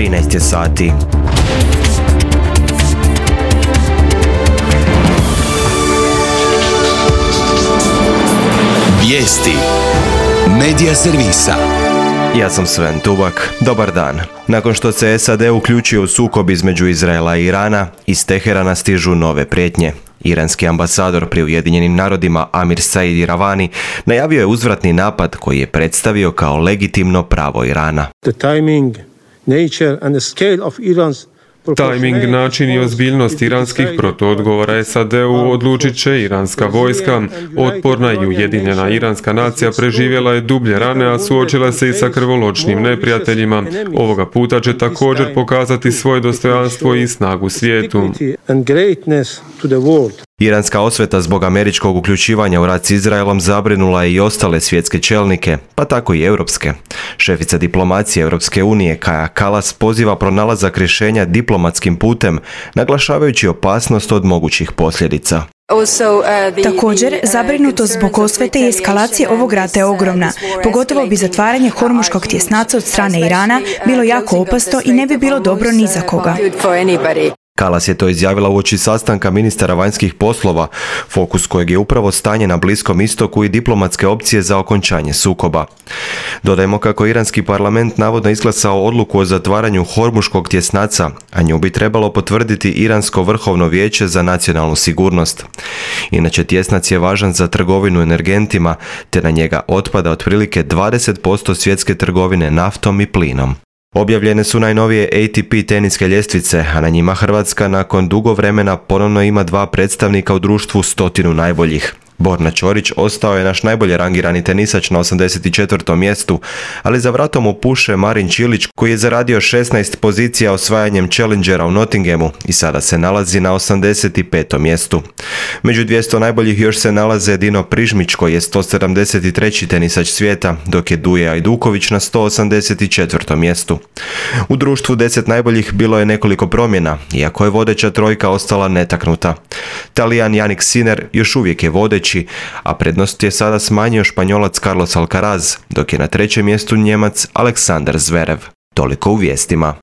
13 je sati. Vijesti Medija servisa. Ja sam Sven Tubak. Dobar dan. Nakon što se SAD uključio u sukob između Izraela i Irana, iz Teherana stižu nove prijetnje. Iranski ambasador pri Ujedinjenim narodima Amir Said Iravani najavio je uzvratni napad koji je predstavio kao legitimno pravo Irana. Tajming, način i ozbiljnost iranskih protuodgovora SAD-u odlučit će iranska vojska. Otporna i ujedinjena iranska nacija preživjela je dublje rane, a suočila se i sa krvoločnim neprijateljima. Ovoga puta će također pokazati svoje dostojanstvo i snagu svijetu. Iranska osveta zbog američkog uključivanja u rat s Izraelom zabrinula je i ostale svjetske čelnike, pa tako i europske. Šefica diplomacije Europske unije Kaja Kallas poziva pronalazak rješenja diplomatskim putem, naglašavajući opasnost od mogućih posljedica. Također, zabrinutost zbog osvete i eskalacije ovog rata je ogromna. Pogotovo bi zatvaranje Hormuškog tjesnaca od strane Irana bilo jako opasno i ne bi bilo dobro ni za koga. Kallas je to izjavila uoči sastanka ministara vanjskih poslova, fokus kojeg je upravo stanje na Bliskom istoku i diplomatske opcije za okončanje sukoba. Dodajmo kako iranski parlament navodno izglasao odluku o zatvaranju Hormuškog tjesnaca, a nju bi trebalo potvrditi Iransko vrhovno vijeće za nacionalnu sigurnost. Inače, tjesnac je važan za trgovinu energentima, te na njega otpada otprilike 20% svjetske trgovine naftom i plinom. Objavljene su najnovije ATP teniske ljestvice, a na njima Hrvatska nakon dugo vremena ponovno ima 2 predstavnika u društvu 100 najboljih. Borna Ćorić ostao je naš najbolje rangirani tenisač na 84. mjestu, ali za vratom mu puše Marin Čilić koji je zaradio 16 pozicija osvajanjem Challengera u Nottinghamu i sada se nalazi na 85. mjestu. Među 200 najboljih još se nalaze Dino Prižmić koji je 173. tenisač svijeta, dok je Duje Ajduković na 184. mjestu. U društvu 10 najboljih bilo je nekoliko promjena, iako je vodeća trojka ostala netaknuta. Talijan Jannik Sinner još uvijek je vodeći, a prednost je sada smanjio Španjolac Carlos Alcaraz, dok je na 3. mjestu Njemac Aleksandar Zverev. Toliko u vijestima.